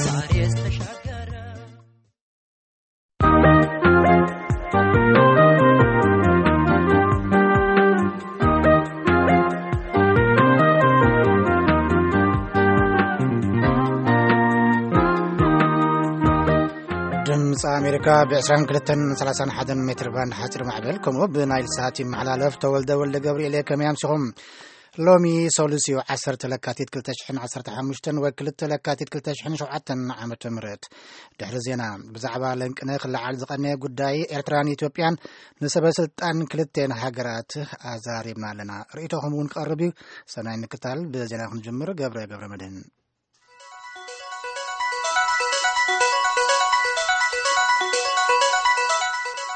ዛሬስ ተሻገረ። ድምፂ ኣሜሪካ ብ22 31 ሜትር ባንድ ሓፂር ማዕበል፣ ከምኡ ብናይል ሳት ይመሓላለፍ። ተወልደ ወልደ ገብርኤል እየ። ከመይ ኣምሲኹም? ሎሚ ሰሉስ እዩ፣ ዓሰርተ ለካቲት ክልተ ሽሕን ዓሰርተ ሓሙሽተን ወይ ክልተ ለካቲት ክልተ ሽሕን ሸውዓተን ዓመተ ምህረት። ድሕሪ ዜና፣ ብዛዕባ ለንቅነ ክለዓል ዝቐነየ ጉዳይ ኤርትራን ኢትዮጵያን ንሰበ ስልጣን ክልቴን ሃገራት ኣዛሪብና ኣለና። ርእይቶኹም እውን ክቐርብ እዩ። ሰናይ ምክታል። ብዜና ክንጅምር፣ ገብረ ገብረ መድህን።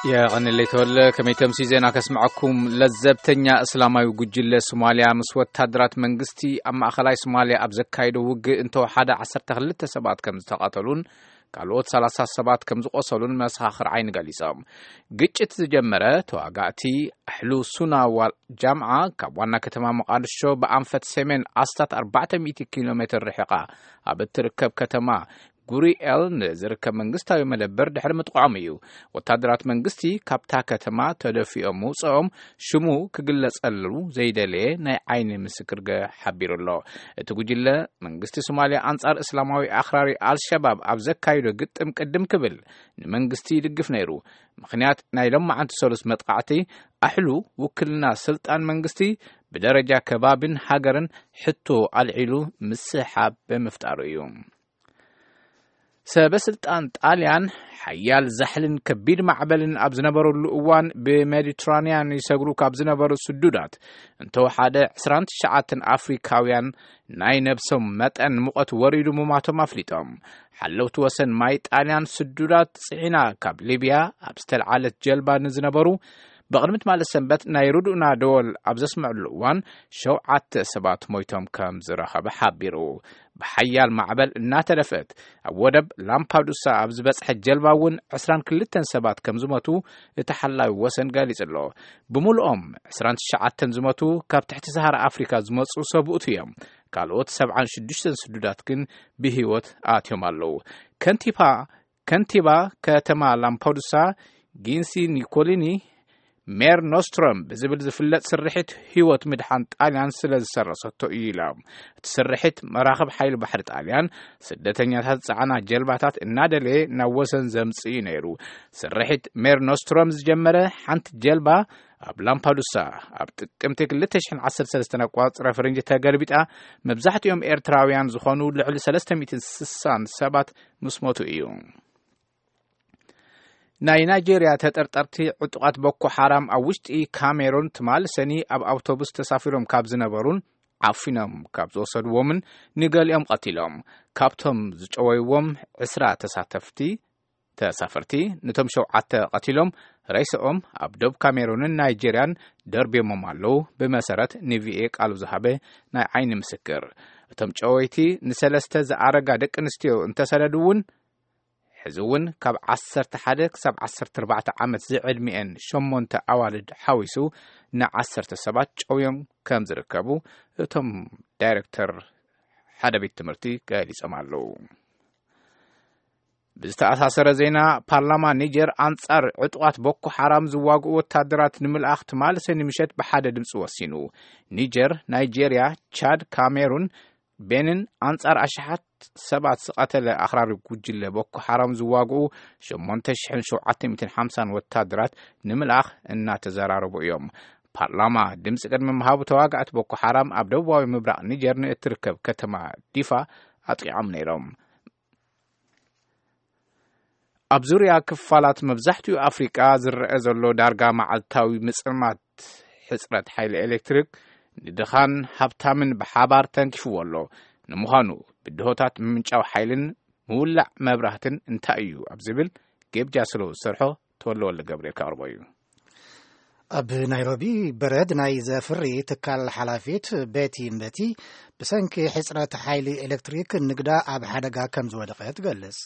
የቐንለይ ተወለ። ከመይ ተምሲ ዜና ከስምዐኩም። ለዘብተኛ እስላማዊ ጉጅለ ሶማልያ ምስ ወታደራት መንግስቲ ኣብ ማእኸላይ ሶማልያ ኣብ ዘካየዶ ውግእ እንተወሓደ ዓሰርተ ክልተ ሰባት ከም ዝተቐተሉን ካልኦት ሰላሳ ሰባት ከም ዝቖሰሉን መሰኻኽር ዓይኒ ገሊጾም። ግጭት ዝጀመረ ተዋጋእቲ ኣሕሉ ሱና ዋል ጃምዓ ካብ ዋና ከተማ መቓድሾ ብኣንፈት ሰሜን ኣስታት ኣርባዕተ ሚእቲ ኪሎ ሜትር ርሒቓ ኣብ እትርከብ ከተማ ጉሪኤል ንዝርከብ መንግስታዊ መደበር ድሕሪ ምጥቋዖም እዩ። ወታደራት መንግስቲ ካብታ ከተማ ተደፊኦም ምውፅኦም ሽሙ ክግለጸሉ ዘይደለየ ናይ ዓይኒ ምስክር ገ-፣ ሓቢሩ ኣሎ። እቲ ጉጅለ መንግስቲ ሶማልያ ኣንጻር እስላማዊ ኣኽራሪ ኣልሸባብ ኣብ ዘካይዶ ግጥም ቅድም ክብል ንመንግስቲ ይድግፍ ነይሩ። ምኽንያት ናይ ሎማዓንቲ ሰሉስ መጥቃዕቲ ኣሕሉ ውክልና ስልጣን መንግስቲ ብደረጃ ከባብን ሃገርን ሕቶ ኣልዒሉ ምስሓብ ብምፍጣሩ እዩ። ሰበ ስልጣን ጣልያን ሓያል ዛሕልን ከቢድ ማዕበልን ኣብ ዝነበረሉ እዋን ብሜዲትራንያን ይሰግሩ ካብ ዝነበሩ ስዱዳት እንተወሓደ ዕስራን ትሽዓተን ኣፍሪካውያን ናይ ነብሶም መጠን ሙቐት ወሪዱ ምማቶም ኣፍሊጦም። ሓለውቲ ወሰን ማይ ጣልያን ስዱዳት ጽዒና ካብ ሊብያ ኣብ ዝተልዓለት ጀልባ ንዝነበሩ ብቕድሚ ትማሊ ሰንበት ናይ ርድኡና ደወል ኣብ ዘስምዕሉ እዋን ሸውዓተ ሰባት ሞይቶም ከም ዝረኸበ ሓቢሩ። ብሓያል ማዕበል እናተደፍአት ኣብ ወደብ ላምፓዱሳ ኣብ ዝበጽሐት ጀልባ እውን ዕስራን ክልተን ሰባት ከም ዝሞቱ እቲ ሓላዊ ወሰን ገሊጹ ኣሎ። ብምሉኦም ዕስራን ትሽዓተን ዝሞቱ ካብ ትሕቲ ሰሃራ ኣፍሪካ ዝመጹ ሰብኡት እዮም። ካልኦት ሰብዓን ሽዱሽተን ስዱዳት ግን ብህይወት ኣትዮም ኣለዉ። ከንቲባ ከንቲባ ከተማ ላምፓዱሳ ጊንሲ ኒኮሊኒ ሜር ኖስትሮም ብዝብል ዝፍለጥ ስርሒት ህይወት ምድሓን ጣልያን ስለ ዝሰረሰቶ እዩ ኢላ። እቲ ስርሒት መራኽብ ሓይሊ ባሕሪ ጣልያን ስደተኛታት ዝጸዓና ጀልባታት እናደለየ ናብ ወሰን ዘምጽእ እዩ ነይሩ። ስርሒት ሜር ኖስትሮም ዝጀመረ ሓንቲ ጀልባ ኣብ ላምፓዱሳ ኣብ ጥቅምቲ ክልተ ሽሕን ዓሰርተ ሰለስተን ኣቋጽረ ፈረንጂ ተገልቢጣ መብዛሕትኦም ኤርትራውያን ዝኾኑ ልዕሊ ሰለስተ ሚእትን ስሳን ሰባት ምስ ሞቱ እዩ። ናይ ናይጄርያ ተጠርጠርቲ ዕጡቓት ቦኮ ሓራም ኣብ ውሽጢ ካሜሩን ትማሊ ሰኒ ኣብ ኣውቶቡስ ተሳፊሮም ካብ ዝነበሩን ዓፊኖም ካብ ዝወሰድዎምን ንገሊኦም ቀቲሎም። ካብቶም ዝጨወይዎም ዕስራ ተሳተፍቲ ተሳፈርቲ፣ ነቶም ሸውዓተ ቀቲሎም ሬስኦም ኣብ ዶብ ካሜሩንን ናይጄርያን ደርብዮሞም ኣለዉ፣ ብመሰረት ንቪኤ ቃሉ ዝሃበ ናይ ዓይኒ ምስክር። እቶም ጨወይቲ ንሰለስተ ዝኣረጋ ደቂ ኣንስትዮ እንተሰደዱ እውን፣ ሕዚ እውን ካብ ዓሰርተ ሓደ ክሳብ ዓሰርተ ኣርባዕተ ዓመት ዝዕድሚኤን ሸሞንተ ኣዋልድ ሓዊሱ ንዓሰርተ ሰባት ጨውዮም ከም ዝርከቡ እቶም ዳይሬክተር ሓደ ቤት ትምህርቲ ገሊጾም ኣለዉ። ብዝተኣሳሰረ ዜና፣ ፓርላማ ኒጀር ኣንጻር ዕጡቓት ቦኮ ሓራም ዝዋግኡ ወታደራት ንምልኣኽ ትማሊ ሰኒ ምሸት ብሓደ ድምፂ ወሲኑ። ኒጀር፣ ናይጄርያ፣ ቻድ፣ ካሜሩን፣ ቤንን ኣንጻር ኣሽሓት ሰባት ዝቐተለ ኣኽራሪ ጉጅለ ቦኮ ሓራም ዝዋግኡ ሸሞንተ ሽሕን ሸውዓተ ሚእትን ሓምሳን ወታደራት ንምልኣኽ እናተዘራረቡ እዮም። ፓርላማ ድምፂ ቅድሚ ምሃቡ ተዋጋእቲ ቦኮ ሓራም ኣብ ደቡባዊ ምብራቕ ኒጀር ንእትርከብ ከተማ ዲፋ ኣጥቂዖም ነይሮም። ኣብ ዙርያ ክፋላት መብዛሕትኡ ኣፍሪቃ ዝረአ ዘሎ ዳርጋ መዓልታዊ ምጽልማት ሕጽረት ሓይሊ ኤሌክትሪክ ንድኻን ሃብታምን ብሓባር ተንኪፍዎ ኣሎ። ንምዃኑ ብድሆታት ምምንጫው ሓይልን ምውላዕ መብራህትን እንታይ እዩ ኣብ ዝብል ጌብ ጃስሎ ዝሰርሖ ተወልደ ወልደ ገብርኤል ከቕርቦ እዩ። ኣብ ናይሮቢ በረድ ናይ ዘፍሪ ትካል ሓላፊት ቤቲ ምበቲ ብሰንኪ ሕጽረት ሓይሊ ኤሌክትሪክ ንግዳ ኣብ ሓደጋ ከም ዝወደቐ ትገልጽ።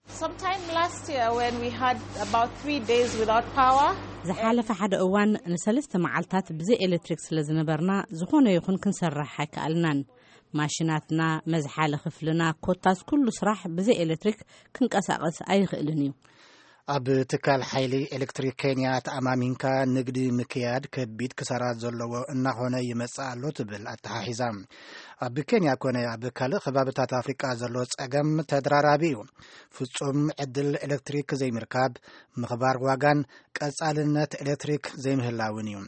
Sometime last year when we had about three days without power, ዝሓለፈ ሓደ እዋን ንሰለስተ መዓልታት ብዘይ ኤሌክትሪክ ስለ ዝነበርና፣ ዝኾነ ይኹን ክንሰርሕ ኣይከኣልናን። ማሽናትና፣ መዝሓሊ ክፍልና፣ ኮታስ ኩሉ ስራሕ ብዘይ ኤሌክትሪክ ክንቀሳቐስ ኣይኽእልን እዩ። ኣብ ትካል ሓይሊ ኤሌክትሪክ ኬንያ ተኣማሚንካ ንግዲ ምክያድ ከቢድ ክሳራ ዘለዎ እናኾነ ይመጽእ ኣሎ ትብል ኣተሓሒዛ። ኣብ ኬንያ ኮነ ኣብ ካልእ ከባብታት ኣፍሪቃ ዘሎ ጸገም ተደራራቢ እዩ። ፍጹም ዕድል ኤሌክትሪክ ዘይምርካብ፣ ምኽባር ዋጋን ቀጻልነት ኤሌክትሪክ ዘይምህላውን እዩ።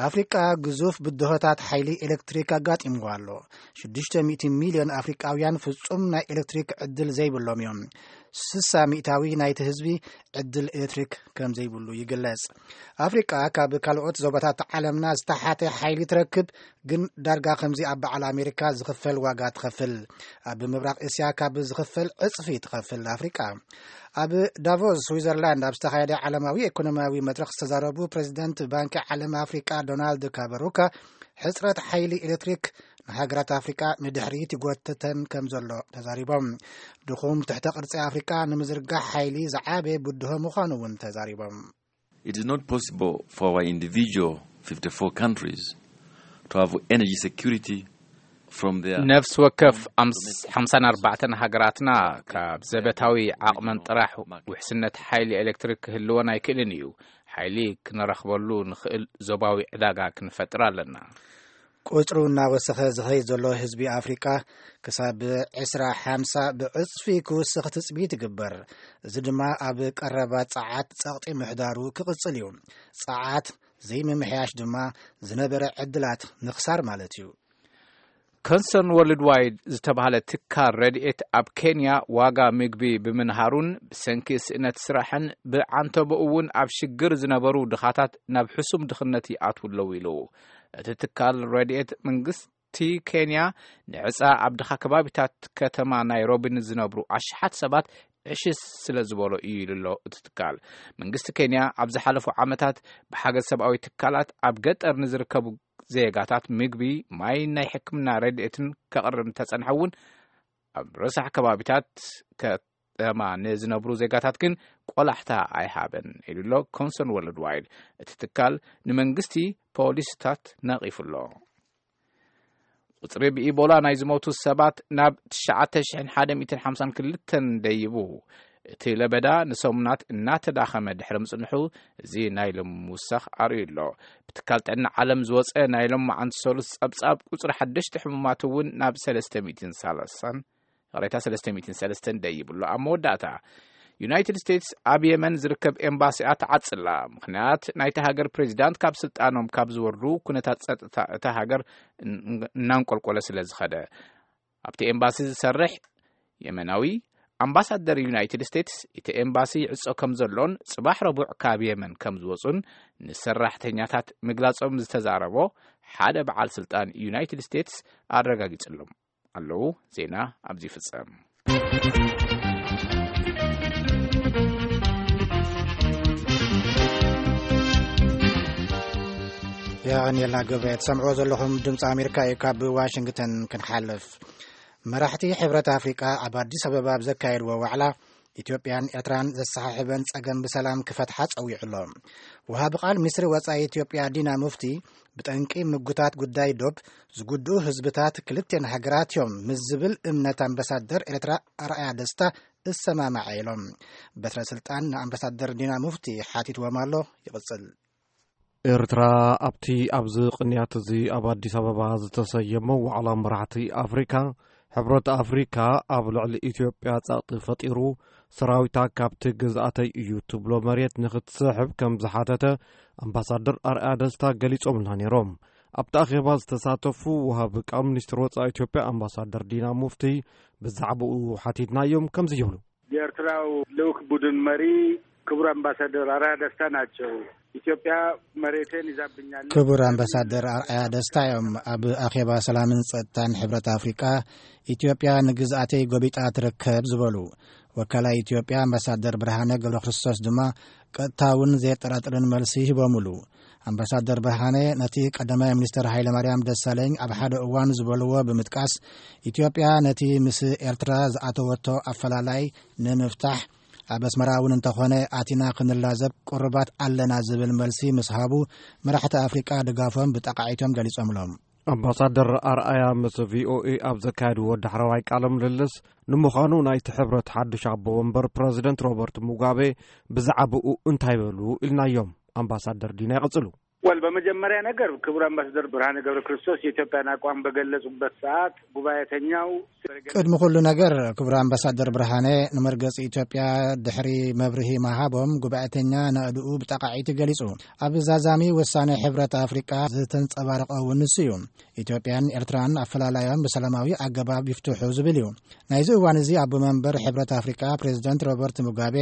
ኣፍሪቃ ግዙፍ ብድሆታት ሓይሊ ኤሌክትሪክ ኣጋጢምዋ ኣሎ። ሽዱሽተ ሚእቲ ሚልዮን ኣፍሪቃውያን ፍጹም ናይ ኤሌክትሪክ ዕድል ዘይብሎም እዮም። ስሳ ሚእታዊ ናይቲ ህዝቢ ዕድል ኤሌክትሪክ ከም ዘይብሉ ይግለጽ። ኣፍሪቃ ካብ ካልኦት ዞባታት ዓለምና ዝተሓተ ሓይሊ ትረክብ፣ ግን ዳርጋ ከምዚ ኣብ በዓል ኣሜሪካ ዝኽፈል ዋጋ ትኸፍል። ኣብ ምብራቕ እስያ ካብ ዝኽፈል ዕጽፊ ትኸፍል ኣፍሪቃ። ኣብ ዳቮስ ስዊዘርላንድ ኣብ ዝተኻየደ ዓለማዊ ኢኮኖሚያዊ መድረኽ ዝተዛረቡ ፕሬዚደንት ባንኪ ዓለም ኣፍሪቃ ዶናልድ ካበሩካ፣ ሕጽረት ሓይሊ ኤሌክትሪክ ንሃገራት ኣፍሪቃ ንድሕሪት ይጎትተን ከም ዘሎ ተዛሪቦም። ድኹም ትሕተ ቅርጺ ኣፍሪቃ ንምዝርጋሕ ሓይሊ ዝዓበየ ብድሆ ምዃኑ እውን ተዛሪቦም። It is not possible for our individual fifty-four countries to have energy security from their ነፍሲ ወከፍ ኣምስ-፣ ሓምሳን ኣርባዕተን ሃገራትና ካብ ዘበታዊ ዓቕመን ጥራሕ ውሕስነት ሓይሊ ኤሌክትሪክ ክህልወን ኣይክእልን እዩ። ሓይሊ ክንረኽበሉ ንኽእል ዞባዊ ዕዳጋ ክንፈጥር ኣለና። ቁጽሩ እናወሰኸ ዝኸይድ ዘሎ ህዝቢ ኣፍሪቃ ክሳብ ዕስራ ሓምሳ ብዕጽፊ ክውስኽ ትጽቢት ይግበር። እዚ ድማ ኣብ ቀረባ ጸዓት ጸቕጢ ምሕዳሩ ክቕጽል እዩ። ጸዓት ዘይምምሕያሽ ድማ ዝነበረ ዕድላት ምኽሳር ማለት እዩ። ኮንሰርን ወርልድ ዋይድ ዝተባህለ ትካል ረድኤት ኣብ ኬንያ ዋጋ ምግቢ ብምንሃሩን ብሰንኪ ስእነት ስራሕን ብዓንተቦኡ እውን ኣብ ሽግር ዝነበሩ ድኻታት ናብ ሕሱም ድኽነት ይኣትዉ ኣለዉ ኢሉ። እቲ ትካል ረድኤት መንግስቲ ኬንያ ንዕፃ ኣብ ድኻ ከባቢታት ከተማ ናይሮቢ ንዝነብሩ ኣሽሓት ሰባት ዕሽሽ ስለ ዝበሎ እዩ ኢሉ ኣሎ እቲ ትካል። መንግስቲ ኬንያ ኣብ ዝሓለፉ ዓመታት ብሓገዝ ሰብኣዊ ትካላት ኣብ ገጠር ንዝርከቡ ዜጋታት ምግቢ፣ ማይ፣ ናይ ሕክምና ረድኤትን ከቕርብ እንተጸንሐ እውን ኣብ ረሳሕ ከባቢታት ከተማ ንዝነብሩ ዜጋታት ግን ቆላሕታ ኣይሃበን ኢሉ ኣሎ ኮንሰርን ወርልድ ዋይድ። እቲ ትካል ንመንግስቲ ፖሊሲታት ነቒፉ ኣሎ። ቁጽሪ ብኢቦላ ናይ ዝሞቱ ሰባት ናብ ትሽዓተ ሽሕን ሓደ ሚእትን ሓምሳን ክልተን ደይቡ፣ እቲ ለበዳ ንሰሙናት እናተዳኸመ ድሕሪ ምጽንሑ፣ እዚ ናይ ሎሚ ምውሳኽ ኣርእዩ ኣሎ። ብትካል ጥዕና ዓለም ዝወጸ ናይ ሎሚ መዓንቲ ሰሉስ ጸብጻብ ቁጽሪ ሓደሽቲ ሕሙማት እውን ናብ ሰለስተ ሚእትን ሰላሳን፣ ይቕሬታ፣ ሰለስተ ሚእትን ሰለስተን ደይቡ ኣሎ። ኣብ መወዳእታ፣ ዩናይትድ ስቴትስ ኣብ የመን ዝርከብ ኤምባሲኣ ትዓጽላ። ምኽንያት፣ ናይቲ ሃገር ፕሬዚዳንት ካብ ስልጣኖም ካብ ዝወርዱ፣ ኩነታት ጸጥታ እታ ሃገር እን-፣ እናንቆልቆለ ስለ ዝኸደ። ኣብቲ ኤምባሲ ዝሰርሕ የመናዊ ኣምባሳደር ዩናይትድ ስቴትስ፣ እቲ ኤምባሲ ይዕጾ ከም ዘሎን ጽባሕ ረቡዕ ካብ የመን ከም ዝወጹን ንሰራሕተኛታት ምግላጾም ዝተዛረቦ ሓደ በዓል ስልጣን ዩናይትድ ስቴትስ ኣረጋጊጽሎም ኣለዉ። ዜና ኣብዚ ይፍጸም። የቐንየልና ገብረ። ትሰምዕዎ ዘለኹም ድምፂ ኣሜሪካ እዩ። ካብ ዋሽንግተን ክንሓልፍ፣ መራሕቲ ሕብረት ኣፍሪቃ ኣብ ኣዲስ ኣበባ ኣብ ዘካየድዎ ዋዕላ፣ ኢትዮጵያን ኤርትራን ዘሰሓሕበን ጸገም ብሰላም ክፈትሓ ጸዊዑ ኣሎ። ወሃቢ ቃል ሚኒስትሪ ወጻኢ ኢትዮጵያ ዲና ሙፍቲ፣ ብጠንቂ ምጉታት ጉዳይ ዶብ ዝጉድኡ ህዝብታት ክልቴን ሃገራት እዮም ምስ ዝብል እምነት ኣምባሳደር ኤርትራ ኣርኣያ ደስታ እሰማማዐ ኢሎም። በትረ ስልጣን ንኣምባሳደር ዲና ሙፍቲ ሓቲትዎም ኣሎ። ይቕጽል። ኤርትራ ኣብቲ ኣብዚ ቅንያት እዚ ኣብ ኣዲስ ኣበባ ዝተሰየመ ዋዕላ መራሕቲ ኣፍሪካ፣ ሕብረት ኣፍሪካ ኣብ ልዕሊ ኢትዮጵያ ጸቕጢ ፈጢሩ፣ ሰራዊታ ካብቲ ግዝኣተይ እዩ ትብሎ መሬት ንክትስሕብ ከም ዝሓተተ ኣምባሳደር ኣርኣያ ደስታ ገሊጾምልና ነይሮም። ኣብቲ ኣኼባ ዝተሳተፉ ወሃቢ ቃል ሚኒስትር ወጻኢ ኢትዮጵያ ኣምባሳደር ዲና ሙፍቲ ብዛዕባኡ ሓቲትናዮም ከምዚ ይብሉ። የኤርትራው ልኡክ ቡድን መሪ ክቡር ኣምባሳደር ኣርኣያ ደስታ ናቸው። ኢትዮጵያ መሬቴን ይዛብኛለች። ክቡር ኣምባሳደር ኣርኣያ ደስታ እዮም ኣብ ኣኼባ ሰላምን ጸጥታን ሕብረት ኣፍሪቃ፣ ኢትዮጵያ ንግዝኣተይ ጎቢጣ ትርከብ ዝበሉ። ወካላይ ኢትዮጵያ ኣምባሳደር ብርሃነ ገብረ ክርስቶስ ድማ ቀጥታውን ዘየጠራጥርን መልሲ ሂቦምሉ። ኣምባሳደር ብርሃነ ነቲ ቀዳማይ ሚኒስትር ሃይለማርያም ደሳለኝ ኣብ ሓደ እዋን ዝበልዎ ብምጥቃስ፣ ኢትዮጵያ ነቲ ምስ ኤርትራ ዝኣተወቶ ኣፈላላይ ንምፍታሕ ኣብ ኣስመራ እውን እንተኾነ ኣቲና ክንላዘብ ቅሩባት ኣለና ዝብል መልሲ ምስ ሃቡ፣ መራሕቲ ኣፍሪቃ ድጋፎም ብጠቓዒቶም ገሊጾምሎም። ኣምባሳደር ኣርኣያ ምስ ቪኦኤ ኣብ ዘካየድዎ ዳሕረዋይ ቃለ ምልልስ፣ ንምዃኑ ናይቲ ሕብረት ሓድሽ ኣቦ ወንበር ፕረዚደንት ሮበርት ሙጋቤ ብዛዕባኡ እንታይ በሉ ኢልናዮም። ኣምባሳደር ዲና ይቕጽሉ። ወል በመጀመሪያ ነገር ክቡር ኣምባሳደር ብርሃነ ገብረ ክርስቶስ የኢትዮጵያን ኣቋም በገለጹበት ሰዓት ጉባኤተኛው ቅድሚ ኩሉ ነገር ክቡር ኣምባሳደር ብርሃነ ንመርገጺ ኢትዮጵያ ድሕሪ መብርሂ መሃቦም ጉባኤተኛ ናእድኡ ብጠቃዒቲ ገሊጹ። ኣብ ዛዛሚ ውሳኔ ሕብረት ኣፍሪቃ ዝተንጸባረቀ እውን ንሱ እዩ። ኢትዮጵያን ኤርትራን ኣፈላላዮም ብሰላማዊ ኣገባብ ይፍትሑ ዝብል እዩ። ናይዚ እዋን እዚ ኣቦ መንበር ሕብረት ኣፍሪቃ ፕሬዚደንት ሮበርት ሙጋቤ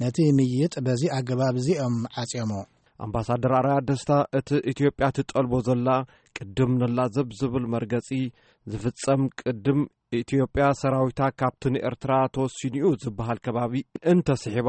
ነቲ ምይይጥ በዚ ኣገባብ እዚኦም ዓጽዮሞ። ኣምባሳደር ኣርኣያ ደስታ እቲ ኢትዮጵያ ትጠልቦ ዘላ ቅድም ንላዘብ ዝብል መርገጺ ዝፍጸም ቅድም ኢትዮጵያ ሰራዊታ ካብቲ ንኤርትራ ተወሲኑ'ዩ ዝበሃል ከባቢ እንተስሒባ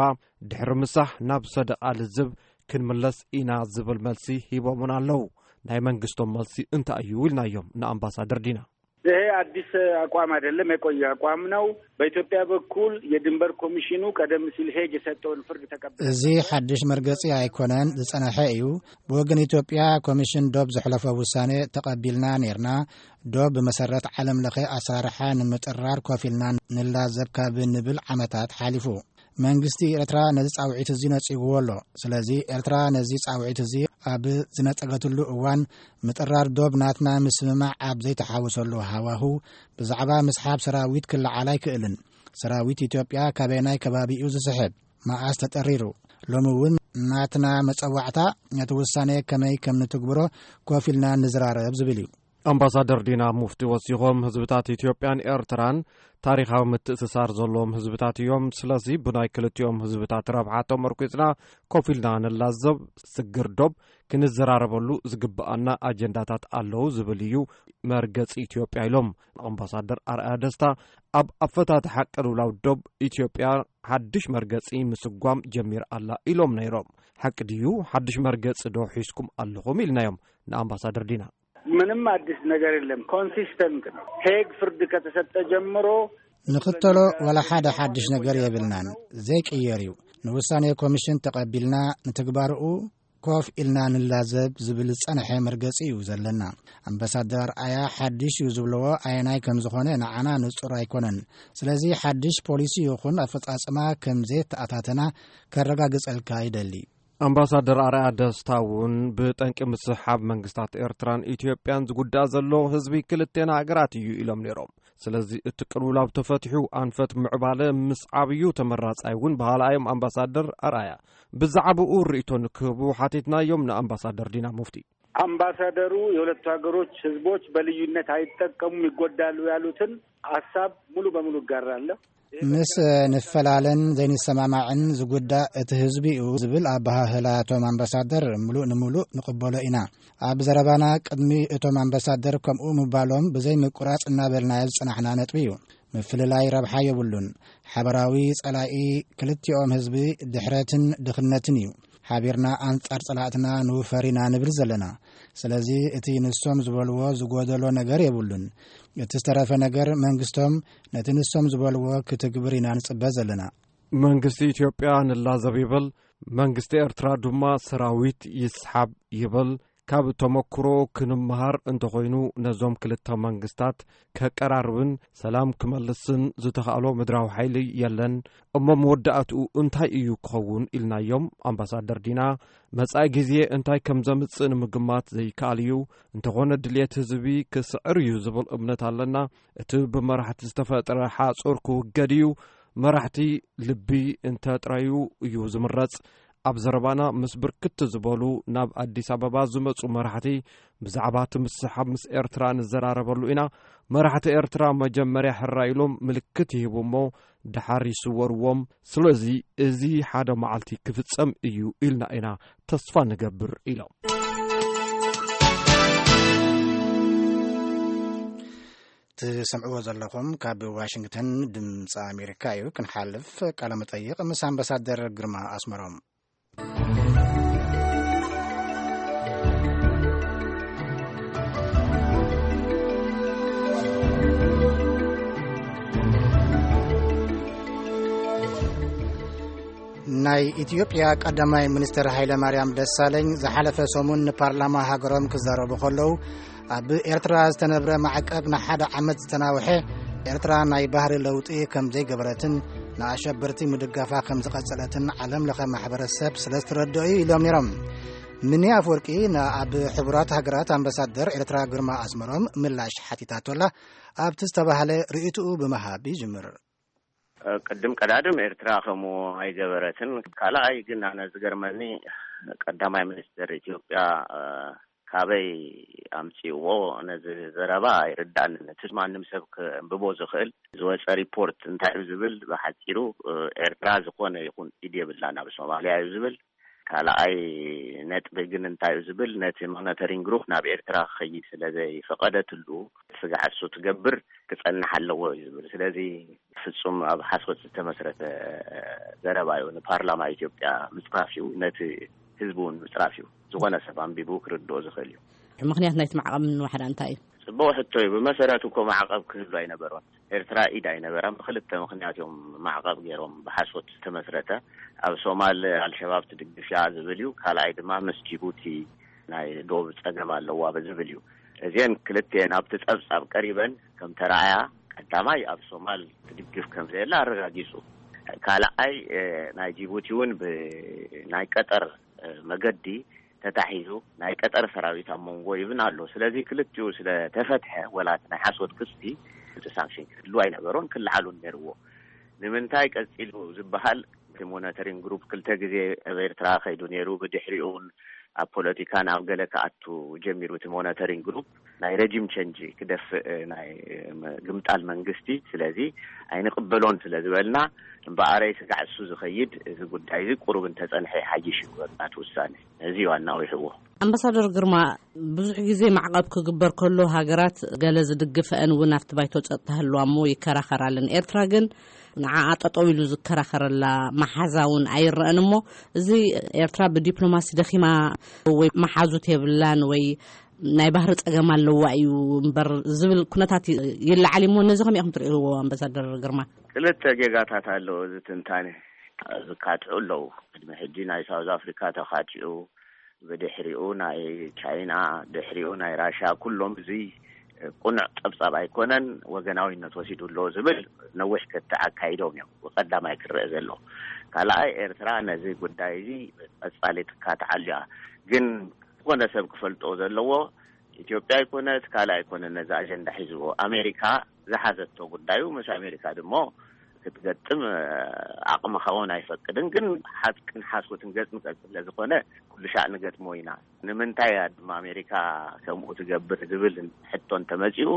ድሕሪ ምሳሕ ናብ ሰደቓ ልዝብ ክንምለስ ኢና ዝብል መልሲ ሂቦምና ኣለዉ። ናይ መንግስቶም መልሲ እንታይ እዩ ኢልናዮም ንኣምባሳደር ዲና። ይሄ አዲስ አቋም አይደለም፣ የቆየ አቋም ነው። በኢትዮጵያ በኩል የድንበር ኮሚሽኑ ቀደም ሲል ሄግ የሰጠውን ፍርድ ተቀብለን እዚ ሓድሽ መርገጺ ኣይኮነን፣ ዝጸንሐ እዩ። ብወገን ኢትዮጵያ ኮሚሽን ዶብ ዘሕለፎ ውሳኔ ተቐቢልና ኔርና። ዶብ ብመሰረት ዓለም ለኸ ኣሰራርሓ ንምጥራር ኮፍ ኢልና ንላዘብ ካብ ንብል ዓመታት ሓሊፉ። መንግስቲ ኤርትራ ነዚ ጻውዒት እዚ ነጺግዎ ኣሎ። ስለዚ ኤርትራ ነዚ ጻውዒት እዚ ኣብ ዝነጸገትሉ እዋን ምጥራር ዶብ ናትና ምስምማዕ ኣብ ዘይተሓወሰሉ ሃዋሁ ብዛዕባ ምስሓብ ሰራዊት ክለዓል ኣይክእልን። ሰራዊት ኢትዮጵያ ካበየናይ ከባቢ እዩ ዝስሕብ? መኣስ ተጠሪሩ? ሎሚ እውን ናትና መጸዋዕታ ነቲ ውሳኔ ከመይ ከም ንትግብሮ ኮፍ ኢልና ንዝራረብ ዝብል እዩ። ኣምባሳደር ዲና ሙፍቲ ወሲኾም፣ ህዝብታት ኢትዮጵያን ኤርትራን ታሪኻዊ ምትእስሳር ዘለዎም ህዝብታት እዮም። ስለዚ ብናይ ክልቲኦም ህዝብታት ረብሓ ተመርኲጽና ኮፍ ኢልና ንላዘብ፣ ስግር ዶብ ክንዘራረበሉ ዝግብኣና ኣጀንዳታት ኣለዉ ዝብል እዩ መርገጺ ኢትዮጵያ ኢሎም። ኣምባሳደር ኣርኣያ ደስታ ኣብ ኣፈታትሓ ቅልውላው ዶብ ኢትዮጵያ ሓድሽ መርገጺ ምስጓም ጀሚር ኣላ ኢሎም ነይሮም። ሓቂ ድዩ? ሓድሽ መርገጺ ዶ ሒዝኩም ኣለኹም ኢልናዮም ንኣምባሳደር ዲና። ምንም አዲስ ነገር የለም። ኮንሲስተንት ነው። ሄግ ፍርድ ከተሰጠ ጀምሮ ንኽተሎ ወላ ሓደ ሓድሽ ነገር የብልናን። ዘይቅየር እዩ። ንውሳኔ ኮሚሽን ተቐቢልና ንትግባርኡ ኮፍ ኢልና ንላዘብ ዝብል ዝጸንሐ መርገጺ እዩ ዘለና። ኣምባሳደር ኣያ ሓድሽ እዩ ዝብለዎ ኣየናይ ከም ዝኾነ ንዓና ንጹር ኣይኮነን። ስለዚ ሓድሽ ፖሊሲ ይኹን ኣፈጻጽማ ከም ዘየተኣታተና ከረጋግጸልካ ይደሊ። ኣምባሳደር ኣርኣያ ደስታ እውን ብጠንቂ ምስሓብ መንግስታት ኤርትራን ኢትዮጵያን ዝጉዳእ ዘሎ ህዝቢ ክልቴና ሃገራት እዩ ኢሎም ነይሮም። ስለዚ እቲ ቅልውላው ተፈቲሑ ኣንፈት ምዕባለ ምስዓብ እዩ ተመራጻይ እውን በሃላ እዮም ኣምባሳደር ኣርኣያ። ብዛዕባኡ ርእይቶ ንክህቡ ሓቲትናዮም ንኣምባሳደር ዲና ሙፍቲ። አምባሳደሩ የሁለቱ ሀገሮች ህዝቦች በልዩነት አይጠቀሙም፣ ይጎዳሉ ያሉትን ሀሳብ ሙሉ በሙሉ እጋራለሁ። ምስ ንፈላለን ዘይንሰማማዕን ዝጉዳእ እቲ ህዝቢ እዩ ዝብል ኣበሃህላ እቶም ኣምባሳደር ምሉእ ንምሉእ ንቕበሎ ኢና። ኣብ ዘረባና ቅድሚ እቶም ኣምባሳደር ከምኡ ምባሎም ብዘይ ምቁራጽ እናበልናዮ ዝጸናሕና ነጥቢ እዩ። ምፍልላይ ረብሓ የብሉን። ሓበራዊ ጸላኢ ክልቲኦም ህዝቢ ድሕረትን ድኽነትን እዩ። ሓቢርና ኣንጻር ጸላእትና ንውፈር ኢና ንብል ዘለና። ስለዚ እቲ ንሶም ዝበልዎ ዝጎደሎ ነገር የብሉን። እቲ ዝተረፈ ነገር መንግስቶም ነቲ ንሶም ዝበልዎ ክትግብር ኢና ንጽበ ዘለና። መንግስቲ ኢትዮጵያ ንላዘብ ይብል፣ መንግስቲ ኤርትራ ድማ ሰራዊት ይስሓብ ይብል። ካብ ተመክሮ ክንመሃር እንተኾይኑ ነዞም ክልተ መንግስታት ከቀራርብን ሰላም ክመልስን ዝተኻእሎ ምድራዊ ሓይሊ የለን። እሞ መወዳእትኡ እንታይ እዩ ክኸውን ኢልናዮም ኣምባሳደር ዲና። መጻኢ ግዜ እንታይ ከም ዘምጽእ ንምግማት ዘይከኣል እዩ። እንተኾነ ድልየት ህዝቢ ክስዕር እዩ ዝብል እምነት ኣለና። እቲ ብመራሕቲ ዝተፈጥረ ሓጹር ክውገድ እዩ። መራሕቲ ልቢ እንተጥረዩ እዩ ዝምረጽ። ኣብ ዘረባና ምስ ብርክት ዝበሉ ናብ ኣዲስ ኣበባ ዝመጹ መራሕቲ ብዛዕባ እቲ ምስሕሓብ ምስ ኤርትራ ንዘራረበሉ ኢና። መራሕቲ ኤርትራ መጀመርያ ሕራይ ኢሎም ምልክት ይህቡ እሞ ደሓር ይስወርዎም። ስለዚ እዚ ሓደ መዓልቲ ክፍጸም እዩ ኢልና ኢና ተስፋ ንገብር ኢሎም። ትሰምዕዎ ዘለኹም ካብ ዋሽንግተን ድምፂ ኣሜሪካ እዩ። ክንሓልፍ ቃለ መጠይቕ ምስ ኣምባሳደር ግርማ ኣስመሮም። ናይ ኢትዮጵያ ቀዳማይ ሚኒስትር ሃይለ ማርያም ደሳለኝ ዝሓለፈ ሰሙን ንፓርላማ ሃገሮም ክዛረቡ ከለዉ ኣብ ኤርትራ ዝተነብረ ማዕቀብ ንሓደ ዓመት ዝተናውሐ፣ ኤርትራ ናይ ባህሪ ለውጢ ከም ዘይገበረትን ንኣሸበርቲ ምድጋፋ ከም ዝቐጸለትን ዓለም ለኸ ማሕበረሰብ ስለ ዝተረድኦ እዩ ኢሎም ነይሮም። ምኒ ኣፍወርቂ ንኣብ ሕቡራት ሃገራት ኣምባሳደር ኤርትራ ግርማ ኣስመሮም ምላሽ ሓቲታቶላ፣ ኣብቲ ዝተባህለ ርእይትኡ ብምሃብ ይጅምር። ቅድም ቀዳድም ኤርትራ ከምኡ ኣይገበረትን። ካልኣይ ግን ኣነ ዝገርመኒ ቀዳማይ ሚኒስትር ኢትዮጵያ፣ እ፣ ካበይ ኣምጺእዎ ነዚ ዘረባ ኣይርዳእንን። እቲ ማንም ሰብ ከንብቦ ዝኽእል ዝወጸ ሪፖርት እንታይ እዩ ዝብል፣ ብሓጺሩ፣ እ፣ ኤርትራ ዝኾነ ይኹን ኢድ የብላን ኣብ ሶማልያ እዩ ዝብል። ካልኣይ ነጥቢ ግን እንታይ እዩ ዝብል፣ ነቲ ሞኒተሪንግ ግሩፕ ናብ ኤርትራ ክኸይድ ስለ ዘይፈቐደትሉ፣ ስጋዕ እሱ ትገብር ክጸንሕ ኣለዎ እዩ ዝብል። ስለዚ ፍጹም ኣብ ሓሶት ዝተመስረተ ዘረባ እዩ። ንፓርላማ ኢትዮጵያ ምጽራፍ እዩ፣ ነቲ ህዝቢ እውን ምጽራፍ እዩ። ዝኾነ ሰብ ኣንቢቡ ክርድኦ ዝኽእል እዩ። ምኽንያት ናይቲ ማዕቐብ ንዋሕዳ እንታይ እዩ? ጽቡቕ ሕቶ እዩ። ብመሰረቱ እኮ ማዕቐብ ክህሉ ኣይነበሮን። ኤርትራ ኢድ ኣይነበራን። ብክልተ ምኽንያት እዮም ማዕቐብ ገይሮም፣ ብሓሶት ዝተመስረተ። ኣብ ሶማል ኣልሸባብ ትድግፍ እያ ዝብል እዩ። ካልኣይ ድማ ምስ ጅቡቲ ናይ ዶብ ጸገም ኣለዋ ዝብል እዩ። እዚአን ክልቲአን ኣብቲ ጸብጻብ ቀሪበን ከም ተረኣያ፣ ቀዳማይ ኣብ ሶማል ትድግፍ ከም ዘየላ ኣረጋጊጹ። ካልኣይ፣ እ፣ ናይ ጅቡቲ እውን ብናይ ቀጠር፣ እ፣ መገዲ ተታሒዙ ናይ ቀጠር ሰራዊት ኣብ መንጎ ይብን ኣሎ። ስለዚ ክልቲኡ ስለ ተፈትሐ፣ ወላ እቲ ናይ ሓሶት ክስቲ፣ እቲ ሳንክሽን ክህሉ ኣይነበሮን፣ ክለዓሉ ነይርዎ። ንምንታይ ቀጺሉ ዝበሃል፣ እቲ ሞኒተሪንግ ግሩፕ ክልተ ግዜ ኣብ ኤርትራ ከይዱ ነይሩ። ብድሕሪኡ እውን ኣብ ፖለቲካ ናብ ገለ ክኣቱ ጀሚሩ። እቲ ሞኒተሪንግ ግሩፕ ናይ ረጂም ቸንጅ ክደፍእ፣ ናይ፣ እ፣ ግምጣል መንግስቲ። ስለዚ ኣይንቕበሎን ስለ ዝበልና፣ እምበኣረይ ስጋዕ እሱ ዝኸይድ፣ እዚ ጉዳይ እዚ ቁሩብ እንተጸንሐ ይሓይሽ እዩ ናቱ ውሳነ። እዚ እዩ ኣናዊሕዎ። ኣምባሳደር ግርማ፣ ብዙሕ ግዜ ማዕቐብ ክግበር ከሎ ሃገራት ገለ ዝድግፈአን እውን ኣብቲ ባይቶ ጸጥታ ህልዋ እሞ ይከራኸራለን። ኤርትራ ግን ንዓኣ ጠጠው ኢሉ ዝከራኸረላ መሓዛ እውን ኣይረአን። እሞ እዚ ኤርትራ ብዲፕሎማሲ ደኺማ ወይ መሓዙት የብላን ወይ ናይ ባህሪ ጸገም ኣለዋ እዩ እምበር ዝብል ኩነታት ይ-፣ ይለዓል እሞ፣ ነዚ ከመይ ኢኹም ትርእይዎ ኣምባሳደር ግርማ? ክልተ ጌጋታት ኣለዎ እዚ ትንታኔ። ዝካትዑ ኣለዉ። ቅድሚ ሕጂ ናይ ሳውዝ ኣፍሪካ ተኻቲዑ፣ ብድሕሪኡ ናይ ቻይና፣ ድሕሪኡ ናይ ራሽያ፣ ኩሎም እዚ ቅኑዕ ጸብጻብ ኣይኮነን፣ ወገናዊነት ወሲዱ ኣሎ ዝብል ነዊሕ ክትዕ ኣካይዶም እዮም። ቀዳማይ ክረአ ዘሎ። ካልኣይ፣ ኤርትራ ነዚ ጉዳይ እዚ ቀጻሊ ትካትዓሉ እያ። ግን ዝኾነ ሰብ ክፈልጦ ዘለዎ፣ ኢትዮጵያ ኣይኮነት፣ ካልእ ኣይኮነ ነዚ ኣጀንዳ ሒዝዎ። ኣሜሪካ ዝሓዘቶ ጉዳዩ፣ ምስ ኣሜሪካ ድሞ ክትገጥም፣ እ፣ ዓቕምኻ እውን ኣይፈቅድን። ግን ሓቅን ሓሶትን ገጽ ንገጽ ስለ ዝኾነ፣ ኩሉ ሻዕ ንገጥሞ ኢና። ንምንታይ እያ ድማ ኣሜሪካ ከምኡ ትገብር ዝብል ሕቶ እንተመጺኡ፣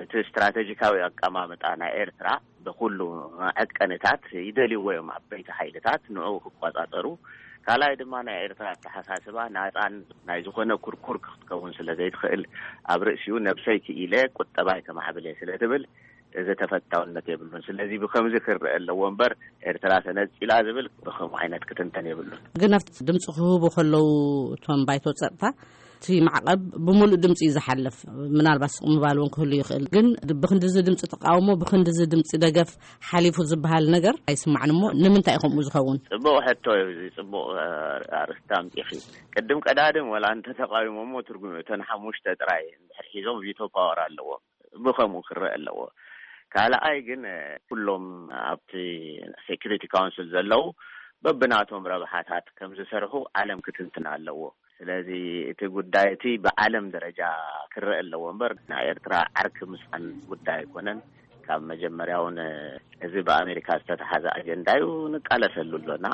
እቲ ስትራቴጂካዊ ኣቀማምጣ ናይ ኤርትራ ብኩሉ መዐቀንታት ይደልይዎ እዮም፣ ዓበይቲ ሓይልታት ንዕኡ ክቆጻጸሩ። ካልኣይ ድማ ናይ ኤርትራ ኣተሓሳስባ ናጻን ናይ ዝኾነ ኩርኩር ክትከውን ስለ ዘይትኽእል፣ ኣብ ርእሲኡ ነብሰይ ክኢለ ቁጠባይ ከማዕብል እየ ስለ ትብል፣ እዚ ተፈታውነት የብሉን። ስለዚ ብከምዚ ክረአ ኣለዎ እምበር፣ ኤርትራ ተነጺላ ዝብል ብከምኡ ዓይነት ክትንተን የብሉን። ግን ኣብቲ ድምፂ ክህቡ ከለዉ እቶም ባይቶ ጸጥታ፣ እቲ ማዕቐብ ብምሉእ ድምፂ እዩ ዝሓልፍ። ምናልባት ስቕ ምባል እውን ክህሉ ይኽእል። ግን ብክንድዚ ድምፂ ተቃውሞ፣ ብክንድዚ ድምፂ ደገፍ ሓሊፉ ዝበሃል ነገር ኣይስማዕን። እሞ ንምንታይ እዩ ከምኡ ዝኸውን? ጽቡቕ ሕቶ እዩ። እዚ ጽቡቕ፣ እ፣ ኣርእስቲ ኣምጺእኺ። ቅድም ቀዳድም ወላ እንተ ተቃዊሞሞ ትርጉም እዩ። እተን ሓሙሽተ ጥራይ እንድሕር ሒዞም ቪቶ ፓወር ኣለዎም። ብኸምኡ ክረአ ኣለዎ። ካልኣይ ግን፣ እ፣ ኩሎም ኣብቲ ሴኩሪቲ ካውንስል ዘለዉ በብናቶም ረብሓታት ከም ዝሰርሑ ዓለም ክትንትን ኣለዎ። ስለዚ እቲ ጉዳይ እቲ ብዓለም ደረጃ ክረአ ኣለዎ እምበር፣ ናይ ኤርትራ ዓርኪ ምጻን ጉዳይ ኣይኮነን። ካብ መጀመርያ እውን እዚ ብኣሜሪካ ዝተተሓዘ ኣጀንዳ እዩ፣ ንቃለሰሉ ኣሎና፣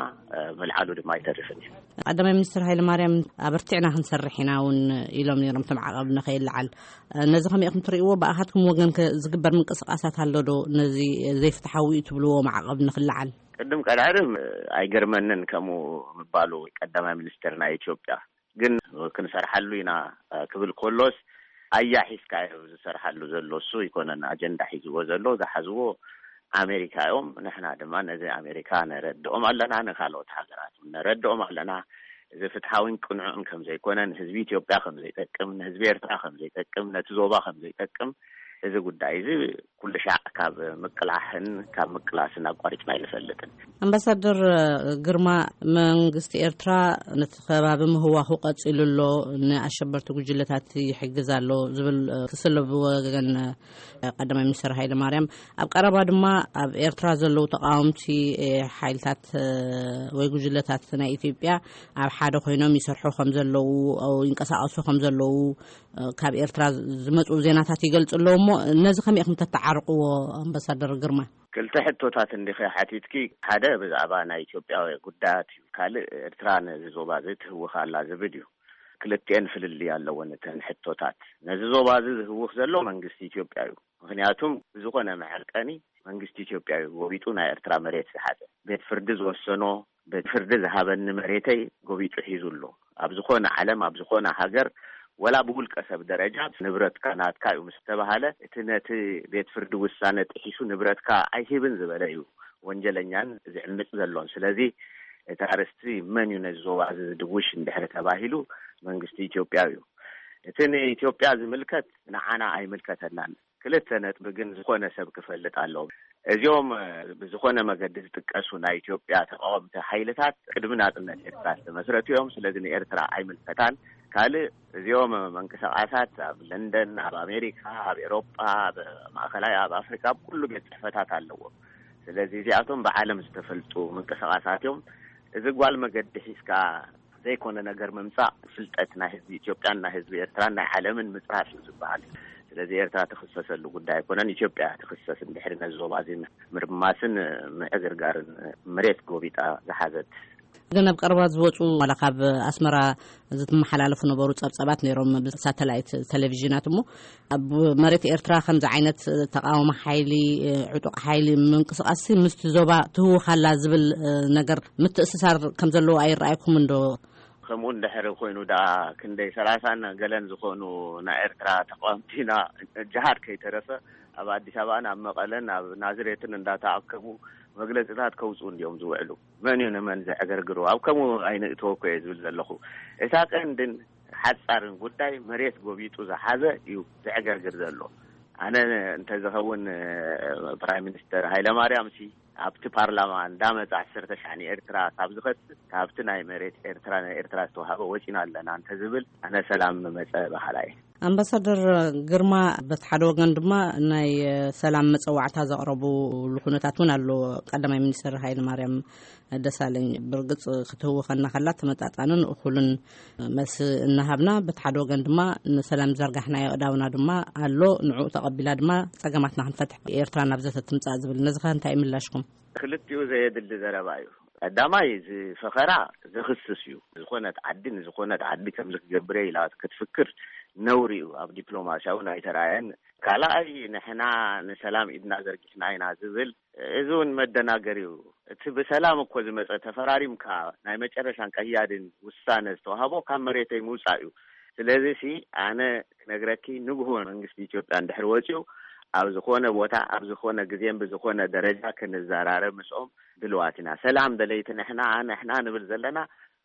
ምልዓሉ ድማ ኣይተርፍን እዩ። ቀዳማይ ሚኒስትር ሃይለ ማርያም ኣበርቲዕና ክንሰርሕ ኢና እውን ኢሎም ነይሮም፣ እቲ ማዕቐብ ንኸይለዓል። ነዚ ከመይ ኢኹም ትርእይዎ? ብኣኻትኩም ወገን ከ ዝግበር ምንቅስቃሳት ኣሎ ዶ? ነዚ ዘይፍትሓዊ እዩ ትብልዎ ማዕቐብ ንኽለዓል? ቅድም ቀዳድም ኣይገርመንን ከምኡ ምባሉ ቀዳማይ ሚኒስትር ናይ ኢትዮጵያ። ግን ክንሰርሓሉ ኢና ክብል ከሎስ፣ ኣያ ሒዝካ እዩ ዝሰርሓሉ ዘሎ። እሱ ኣይኮነን ኣጀንዳ ሒዝዎ ዘሎ፣ ዝሓዝዎ ኣሜሪካ እዮም። ንሕና ድማ ነዚ ኣሜሪካ ነረድኦም ኣለና፣ ንካልኦት ሃገራት እውን ነረድኦም ኣለና። እዚ ፍትሓዊን ቅኑዕን ከም ዘይኮነ፣ ንህዝቢ ኢትዮጵያ ከም ዘይጠቅም፣ ንህዝቢ ኤርትራ ከም ዘይጠቅም፣ ነቲ ዞባ ከም ዘይጠቅም እዚ ጉዳይ እዚ ኩሉ ሻዕ ካብ ምቅላሕን ካብ ምቅላስን ኣቋሪፅና ኣይንፈልጥን። ኣምባሳደር ግርማ፣ መንግስቲ ኤርትራ ነቲ ከባቢ ምህዋኹ ቀጺሉ ኣሎ፣ ንኣሸበርቲ ጉጅለታት ይሕግዝ ኣሎ ዝብል ክስለ ብወገን ቀዳማይ ሚኒስትር ሃይለ ማርያም፣ ኣብ ቀረባ ድማ ኣብ ኤርትራ ዘለዉ ተቃወምቲ ሓይልታት ወይ ጉጅለታት ናይ ኢትዮጵያ ኣብ ሓደ ኮይኖም ይሰርሑ ከም ዘለዉ፣ ይንቀሳቀሱ ከም ዘለዉ ካብ ኤርትራ ዝመጹ ዜናታት ይገልጹ ኣለዉ። እሞ ነዚ ከመይ ኢኹም ተተዓርቅዎ? ኣምባሳደር ግርማ። ክልተ ሕቶታት እንዲኸ ሓቲትኪ፣ ሓደ ብዛዕባ ናይ ኢትዮጵያ ጉዳያት እዩ፣ ካልእ ኤርትራ ነዚ ዞባ እዚ ትህውኽ ኣላ ዝብል እዩ። ክልቲኤን ፍልልይ ኣለወን እተን ሕቶታት። ነዚ ዞባ እዚ ዝህውኽ ዘሎ መንግስቲ ኢትዮጵያ እዩ። ምክንያቱም ብዝኾነ መዐቀኒ መንግስቲ ኢትዮጵያ እዩ ጎቢጡ ናይ ኤርትራ መሬት ዝሓዘ። ቤት ፍርዲ ዝወሰኖ፣ ቤት ፍርዲ ዝሃበኒ መሬተይ ጎቢጡ ሒዙ ኣሎ። ኣብ ዝኾነ ዓለም፣ ኣብ ዝኾነ ሃገር፣ ወላ ብውልቀ ሰብ ደረጃ ንብረትካ ናትካ እዩ ምስ ተባሃለ፣ እቲ ነቲ ቤት ፍርዲ ውሳነ ጥሒሱ ንብረትካ ኣይሂብን ዝበለ እዩ ወንጀለኛን ዝዕምፅ ዘሎን። ስለዚ እቲ ኣርእስቲ መን እዩ ነዚ ዞባ እዚ ዝድውሽ እንድሕር ተባሂሉ፣ መንግስቲ ኢትዮጵያ እዩ። እቲ ንኢትዮጵያ ዝምልከት ንዓና ኣይምልከተናን። ክልተ ነጥቢ ግን ዝኾነ ሰብ ክፈልጥ ኣለዎ። እዚኦም፣ እ፣ ብዝኾነ መገዲ ዝጥቀሱ ናይ ኢትዮጵያ ተቃወምቲ ሓይልታት ቅድሚ ናጽነት ኤርትራ ዝተመስረቱ እዮም። ስለዚ ንኤርትራ ኣይምልከታን። ካልእ፣ እዚኦም መንቀሳቓሳት ኣብ ለንደን፣ ኣብ ኣሜሪካ፣ ኣብ ኤሮጳ፣ ኣብ ማእከላይ፣ ኣብ ኣፍሪካ፣ ኣብ ኩሉ ቤት ጽሕፈታት ኣለዎም። ስለዚ እዚኣቶም ብዓለም ዝተፈልጡ ምንቅስቃሳት እዮም። እዚ ጓል መገዲ ሒዝካ ዘይኮነ ነገር ምምጻእ፣ ፍልጠት ናይ ህዝቢ ኢትዮጵያን ናይ ህዝቢ ኤርትራን ናይ ዓለምን ምጽራፍ እዩ ዝበሃል። ስለዚ ኤርትራ ትኽሰሰሉ ጉዳይ ኣይኮነን። ኢትዮጵያ ትኽሰስ እንድሕሪ ነዚ ዞባ እዚ ምርማስን ምዕግርጋርን፣ መሬት ጎቢጣ ዝሓዘት። ግን ኣብ ቀረባ ዝወጹ፣ ዋላ ካብ ኣስመራ ዝመሓላለፉ ነበሩ ጸብጸባት ነይሮም ብሳተላይት ቴሌቪዥናት። እሞ ኣብ መሬት ኤርትራ ከምዚ ዓይነት ተቃውሞ ሓይሊ፣ ዕጡቕ ሓይሊ ምንቅስቃስ ምስቲ ዞባ ትህውኽ ኣላ ዝብል ነገር ምትእስሳር ከም ዘለዎ ኣይረኣይኩምን ዶ? ከምኡ እንድሕር ኮይኑ ደኣ፣ ክንደይ ሰላሳን ገለን ዝኾኑ ናይ ኤርትራ ተቃወምቲና ጅሃድ ከይተረፈ ኣብ ኣዲስ ኣበባን ኣብ መቐለን ኣብ ናዝሬትን እንዳተኣከቡ መግለጽታት ከውጽኡ እንዲዮም ዝውዕሉ። መን እዩ ንመን ዘዕገርግሩ? ኣብ ከምኡ ኣይንእተወ እኮ እየ ዝብል ዘለኹ። እታ ቀንድን ሓጻርን ጉዳይ መሬት ጎቢጡ ዝሓዘ እዩ ዘዕገርግር ዘሎ። ኣነ እንተዝኸውን፣ ፕራይም ሚኒስተር ሃይለማርያም ሲ ኣብቲ ፓርላማ እንዳመጻ ዓሰርተ ሻዕ ንኤርትራ ካብ ዝኸስስ፣ ካብቲ ናይ መሬት ኤርትራ፣ ናይ ኤርትራ ዝተዋሃበ ወጺና ኣለና እንተዝብል፣ ኣነ ሰላም መጸ በሃላይ። ኣምባሳደር ግርማ፣ በቲ ሓደ ወገን ድማ ናይ ሰላም መጸዋዕታ ዘቕረቡ ኩነታት እውን ኣሎ። ቀዳማይ ሚኒስተር ሃይለ ማርያም ደሳለኝ፣ ብርግጽ ክትህውኸና ከላ ተመጣጣንን እኹልን መልሲ እናሃብና፣ በቲ ሓደ ወገን ድማ ንሰላም ዘርጋሕናዮ ኣእዳውና ድማ ኣሎ፣ ንዕኡ ተቐቢላ ድማ ጸገማትና ክንፈትሕ ኤርትራ ናብ ዘተ ትምጻእ ዝብል፣ ነዚ ኸ እንታይ ምላሽኩም? ክልቲኡ ዘየድሊ ዘረባ እዩ። ቀዳማይ፣ እዚ ፈኸራ ዘኽስስ እዩ። ዝኾነት ዓዲ ንዝኾነት ዓዲ ከምዚ ክገብር እየ ኢላ ክትፍክር ነውሪ እዩ። ኣብ ዲፕሎማሲ እውን ኣይተራእየን። ካልኣይ፣ ንሕና ንሰላም ኢድና ዘርጊሕና ኢና ዝብል፣ እዚ እውን መደናገሪ እዩ። እቲ ብሰላም እኮ ዝመጸ፣ ተፈራሪምካ ናይ መጨረሻን ቀያድን ውሳነ ዝተዋህቦ ካብ መሬተይ ምውጻእ እዩ። ስለዚ ሲ፣ ኣነ ክነግረኪ፣ ንግሆ መንግስቲ ኢትዮጵያ እንድሕር ወጺኡ፣ ኣብ ዝኾነ ቦታ፣ ኣብ ዝኾነ ግዜን ብዝኾነ ደረጃ ክንዘራረብ ምስኦም ድልዋት ኢና። ሰላም ደለይቲ ንሕና፣ ንሕና ንብል ዘለና፣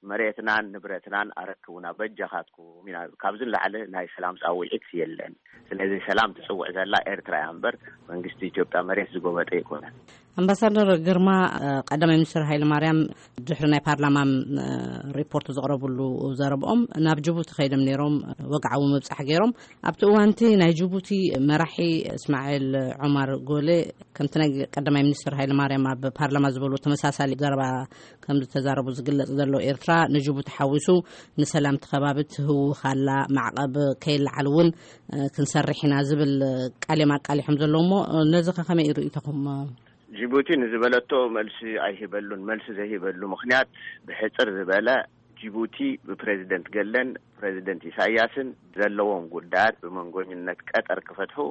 መሬትናን ንብረትናን ኣረክቡና በጃኻትኩም ኢና። ካብዚ ንላዕሊ ናይ ሰላም ጻውዒት የለን። ስለዚ ሰላም ትጽውዕ ዘላ ኤርትራ እያ እምበር፣ መንግስቲ ኢትዮጵያ መሬት ዝጎበጠ ኣይኮነን። ኣምባሳደር ግርማ፣ ቀዳማይ ሚኒስትር ሃይለ ማርያም ድሕሪ ናይ ፓርላማ ሪፖርት ዘቕረብሉ ዘረብኦም፣ ናብ ጅቡቲ ከይዶም ነይሮም፣ ወግዓዊ ምብጻሕ ገይሮም። ኣብቲ እዋንቲ ናይ ጅቡቲ መራሒ እስማዒል ዑማር ጎሌ፣ ከምቲ ናይ ቀዳማይ ሚኒስትር ሃይለ ማርያም ኣብ ፓርላማ ዝበሉ ተመሳሳሊ ዘረባ ከም ዝተዛረቡ ዝግለጽ ዘሎ፣ ኤርትራ ንጅቡቲ ሓዊሱ ንሰላም እቲ ከባቢ ትህውኽ ኣላ፣ ማዕቐብ ከይለዓል እውን ክንሰርሕ ኢና ዝብል ቃል እዮም ኣቃሊሖም ዘለዉ። እሞ ነዚ ከ ከመይ ርእይቶኹም? ጅቡቲ ንዝበለቶ መልሲ ኣይህበሉን። መልሲ ዘይህበሉ ምኽንያት፣ ብሕጽር ዝበለ፣ ጅቡቲ ብፕሬዚደንት ገለን ፕሬዚደንት ኢሳያስን ዘለዎም ጉዳያት ብመንጎኝነት ቀጠር ክፈትሑ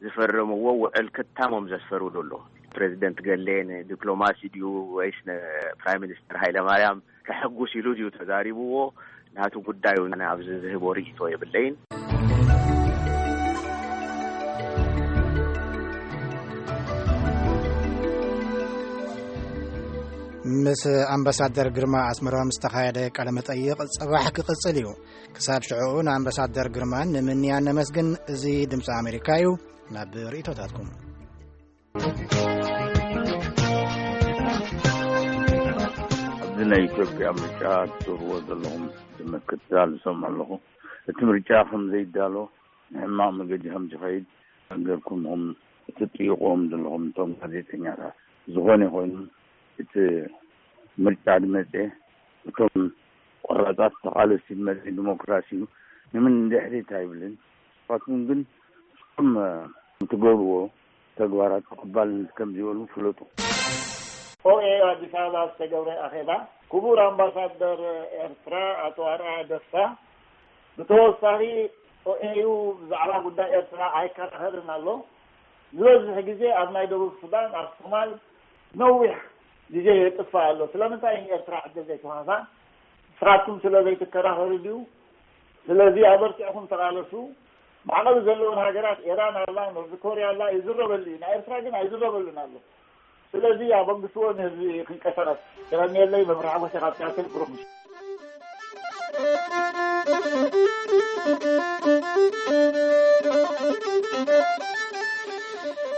ዝፈረምዎ ውዕል ክታሞም ዘስፈርሉ ኣሎ። ፕሬዚደንት ገሌ ንዲፕሎማሲ ድዩ ወይስ ንፕራይም ሚኒስትር ሃይለማርያም ከሐጉስ ኢሉ ድዩ ተዛሪብዎ? ናቱ ጉዳዩ፣ ኣብዚ ዝህቦ ርእይቶ የብለይን። ምስ ኣምባሳደር ግርማ ኣስመሮም ዝተኻየደ ቃለ መጠይቕ ጽባሕ ክቕጽል እዩ። ክሳብ ሽዑ ንኣምባሳደር ግርማን ንምንያን ነመስግን። እዚ ድምፂ ኣሜሪካ እዩ። ናብ ርእይቶታትኩም። ኣብዚ ናይ ኢትዮጵያ ምርጫ ትገብርዎ ዘለኹም ምክትታል ዝሰምዑ ኣለኹ። እቲ ምርጫ ከም ዘይዳሎ፣ ንሕማቕ መገዲ ከም ዝኸይድ ገርኩም ኢኹም እትጥይቕዎም ዘለኹም እቶም ጋዜጠኛታት። ዝኾነ ይኹን፣ እቲ ምርጫ ዝመጸ እቶም ቆራጻት ተቓለስቲ ዝመጸ ዲሞክራሲ እዩ። ንምን ድሕሪት ኣይብልን። ንስኻትኩም ግን እቶም እትገብርዎ ተግባራት ተቐባልነት ከም ዘይብሉ ፍለጡ። ኦኤ ኣዲስ ኣበባ ዝተገብረ ኣኼባ፣ ክቡር ኣምባሳደር ኤርትራ ኣቶ ኣርኣያ ደስታ፣ ብተወሳኺ ኦኤዩ ብዛዕባ ጉዳይ ኤርትራ ኣይከራኸርን ኣሎ። ዝበዝሕ ግዜ ኣብ ናይ ደቡብ ሱዳን፣ ኣብ ሶማል ነዊሕ ግዜ የጥፍእ ኣሎ። ስለምንታይ ንኤርትራ ዕድል ዘይትወሃባ? ንስኻትኩም ስለ ዘይትከራኸሩ ድዩ? ስለዚ ኣበርቲዕኩም ተቓለሱ። ማዕቐብ ዘለወን ሃገራት፣ ኢራን ኣላ፣ ኖርዝ ኮርያ ኣላ፣ ይዝረበሉ እዩ። ናይ ኤርትራ ግን ኣይዝረበሉን ኣሎ። ስለዚ ኣበግስዎ፣ ንህዝቢ ክንቀሳቐስ። የቐንየለይ። መብርሃ ጎሴ ካብ ሲያትል። ብሩኽ ምሽት።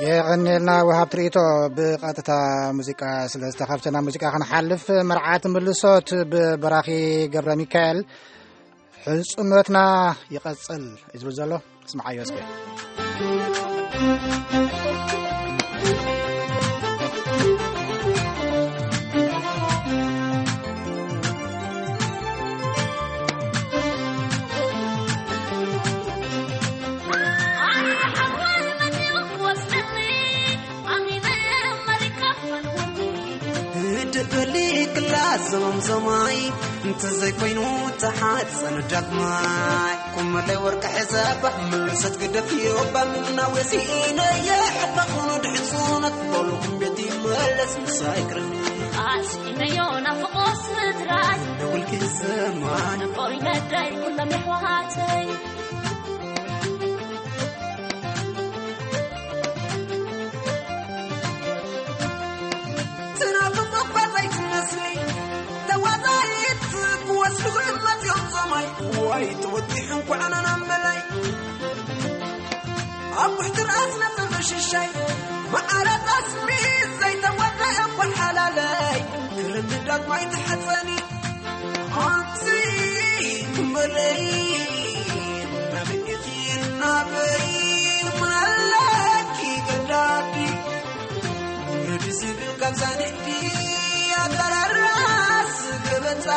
የቐንየልና ወሃብ ትርኢቶ። ብቐጥታ ሙዚቃ ስለ ዝተኸፍተ ናብ ሙዚቃ ክንሓልፍ፣ መርዓት ምልሶት ብበራኺ ገብረ ሚካኤል። ሕጽኖትና ይቐጽል እዩ ዝብል ዘሎ። ስምዓዮ እስከ። ደበሊ ክላስ ዘመምዘማይ እንተዘይኮይኑ ተሓፀን ዳግማይ። ኩመለይ ወርቂ ሕሰባ ምልሰት ግደፍዮ፣ ባምና ወሲነየ ሕባ ኹኑ ድሕፁነት በሉኹም ቤት ይመለስ ምሳይ ክረኒ። ኣስኢነዮ ናፍቆ ስድራይ ደውልኪ ሰማን ቆሪነደይ ኩሎም የሕዋተይ። ትናፍቕ እኳ ዘይትመስሊ ተዋዛይት ክወስድኹ መፅዮም ሰማይ። ዋይ ተወጢሑ እንኳዕ ኣናና መላይ ኣብ ውሕቲ ርኣስ ነፅር ሽሻይ መዓረ ጣስሚ ዘይተወደአ እኳ ሓላለይ ክርድዳት ማይ ተሓፀኒ። ኣንቲ ትንበለይ ናበይ ኢኺ ናበይ ምናለኪ ገዳዲ። ረዲ ዝብል ካብ ዛንሕቲ ኣጠራራስ ገበታ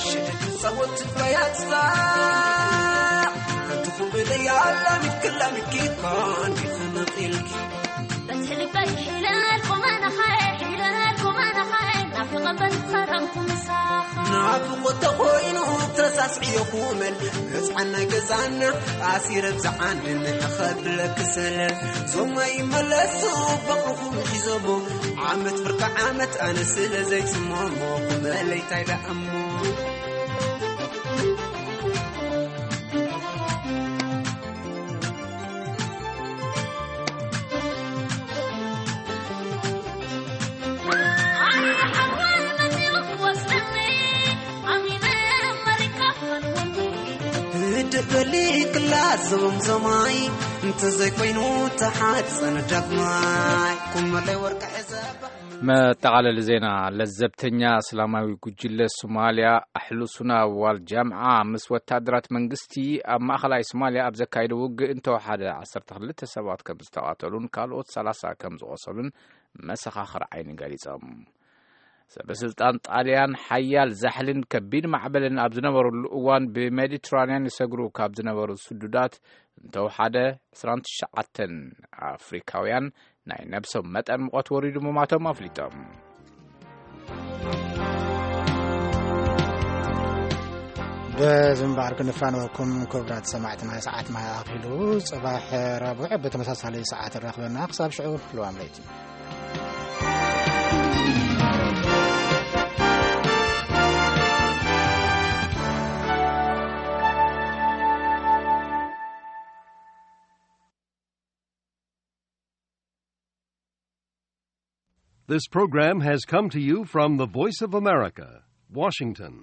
ሽድድ ጸወት ትበያትታ። ኣንቲ ትንበለይ ኣላሚት ክላሚት ኪኮን ዲኸ ነቒልኪ። በቲ ልበይ ሒለልኩም ኣነኻየ፣ ሒለልኩም ኣነኻየ፣ ናፍቖ በቲ ኸረምኩ ምሳኻ። ናፍቖት ተኾይኑ ተሳስዕዮ ኩመል፣ ህፃን ናይ ገዛና ኣሲረ ብዛዓንድን ኸብለክ ሰለል። ዞማ ይመለሱ በቕልኹም ሒዞሞ፣ ዓመት ፍርቂ ዓመት ኣነ ስለ ዘይፅሞሞ፣ ኩመለይ ታይ ደኣሞ። ደበሊ ክላስ ዞምዞማይ እንተዘይኮይኑ ተሓፀነ ዳግማይ። ኩመለይ ወርቂ ሕዘባ። መጠቓለሊ ዜና። ለዘብተኛ እስላማዊ ጉጅለ ሶማልያ ኣሕሉ ሱና ዋል ጃምዓ ምስ ወታደራት መንግስቲ ኣብ ማእኸላይ ሶማልያ ኣብ ዘካየደ ውግእ እንተወሓደ ዓሰርተ ክልተ ሰባት ከም ዝተቓተሉን ካልኦት ሰላሳ ከም ዝቖሰሉን መሰኻኽር ዓይኒ ገሊጾም። ሰበ ስልጣን ጣልያን ሓያል ዛሕልን ከቢድ ማዕበልን ኣብ ዝነበረሉ እዋን ብሜዲትራንያን ይሰግሩ ካብ ዝነበሩ ስዱዳት እንተወሓደ ዕስራን ትሽዓተን ኣፍሪካውያን ናይ ነብሶም መጠን ሙቐት ወሪዱ ምማቶም ኣፍሊጦም። በዚ እምበኣር ክንፋነወኩም ክቡራት ሰማዕትና፣ ሰዓትና ኣኺሉ። ጽባሕ ረቡዕ ብተመሳሳሊ ሰዓት ንራኽበና። ክሳብ ሽዑ ልዋም ለይቲ። This program has come to you from the Voice of America, Washington.